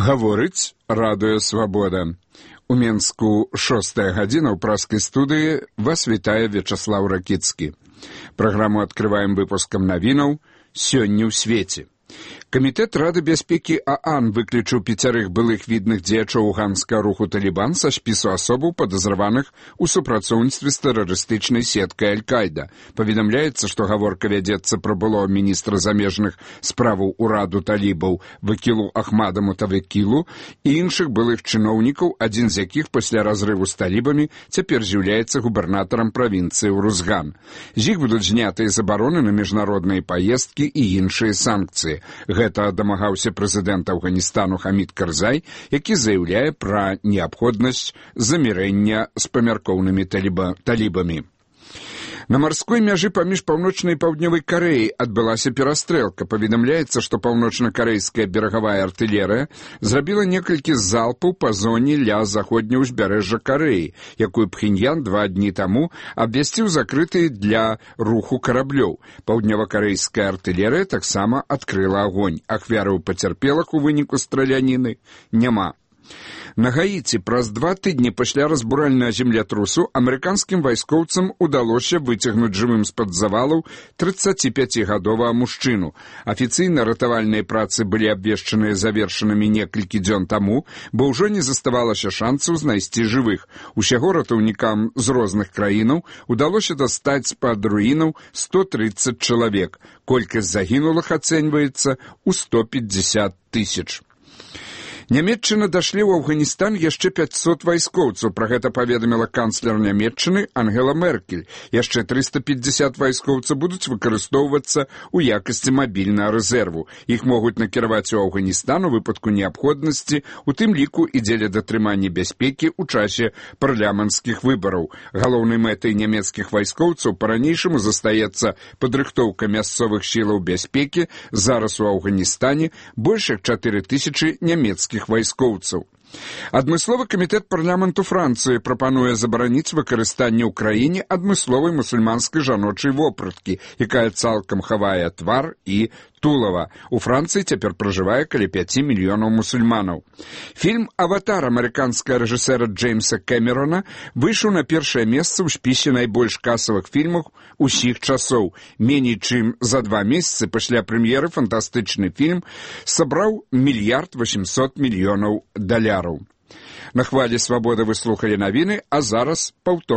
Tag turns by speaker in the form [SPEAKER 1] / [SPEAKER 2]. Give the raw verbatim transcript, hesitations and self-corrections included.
[SPEAKER 1] Гаворыць радыё «Свабода». У Менску шостая гадзіна ў праскай студыі вас вітае Вячаслаў Ракіцкі. Праграму адкрываем выпускам навінаў «Сёння ў свеце». Камітэт Рады бяспекі ААН выключыў пяцярых былых відных дзеячоў афганскага руху «Талібан» са спісу асобаў, падазраваных у супрацоўніцтве з тэрарыстычнай сеткай Аль-Кайда. Паведамляецца, што гаворка вядзецца пра былога міністра замежных справаў ураду талібаў Вакілу Ахмада Мутавакілу і іншых былых чыноўнікаў, адзін з якіх пасля разрыву з талібамі цяпер з'яўляецца губернатарам правінцыі Урузган. З іх будуць знятыя забароны на міжнародныя паездкі і іншыя санкцыі. Гэта дамагаўся прэзідэнт Афганістану Хамід Карзай, які заяўляе пра неабходнасць замірэння з памяркоўнымі таліба, талібамі. На марской мяжы паміж паўночнай і паўднёвай Карэяй адбылася перастрэлка. Паведамляецца, што паўночна-карэйская берагавая артылерыя зрабіла некалькі залпаў па зоне ля заходняў узбярэжжа Карэі, якую Пхеньян два дні таму абвясціў закрытай для руху караблёў. Паўднёва-карэйская артылерыя таксама адкрыла агонь. Ахвяраў пацярпелых у выніку страляніны няма. На Гаіці праз два тыдні пасля разбуральнага землятрусу амерыканскім вайскоўцам удалося выцягнуць жывым з-пад завалаў трыццаціпяцігадовага мужчыну. Афіцыйна ратавальныя працы былі абвешчаныя завершанымі некалькі дзён таму, бо ўжо не заставалася шансаў знайсці жывых. Усяго ратаўнікам з розных краінаў удалося дастаць з-пад руінаў сто трыццаць чалавек. Колькасць загінулых ацэньваецца ў сто пятьдесят тысяч. Нямецчына дашлі ў Афганістан яшчэ пяцьсот вайскоўцаў. Пра гэта паведаміла канцлер Нямецчыны Ангела Меркель. Яшчэ трыста пятьдесят вайскоўцаў будуць выкарыстоўвацца ў якасці мабільнага рэзерву. Іх могуць накіраваць у Афганістан у выпадку неабходнасці, у тым ліку і дзеля датрымання бяспекі ў часе парламенцкіх выбараў. Галоўнай мэтай нямецкіх вайскоўцаў па-ранейшаму застаецца падрыхтоўка мясцовых сілаў бяспекі. Зараз у Афганістане больш як чатыры тысячы нямецкіх вайскоўцаў. Адмысловы камітэт парламенту Францыі прапануе забараніць выкарыстанне ў краіне адмысловай мусульманскай жаночай вопраткі, якая цалкам хавае твар і тулава. У Францыі цяпер пражывае каля пяці мільёнаў мусульманаў. Фільм «Аватар» амерыканскага рэжысэра Джеймса Кэмерона выйшаў на першае месца ў спісе найбольш касавых фільмаў усіх часоў. Меней чым за два месяцы пасля прэм'еры фантастычны фільм сабраў мільярд васьмсот мільёнаў даляраў. На хвалі «Свабоды» вы слухалі навіны, а зараз паўтор.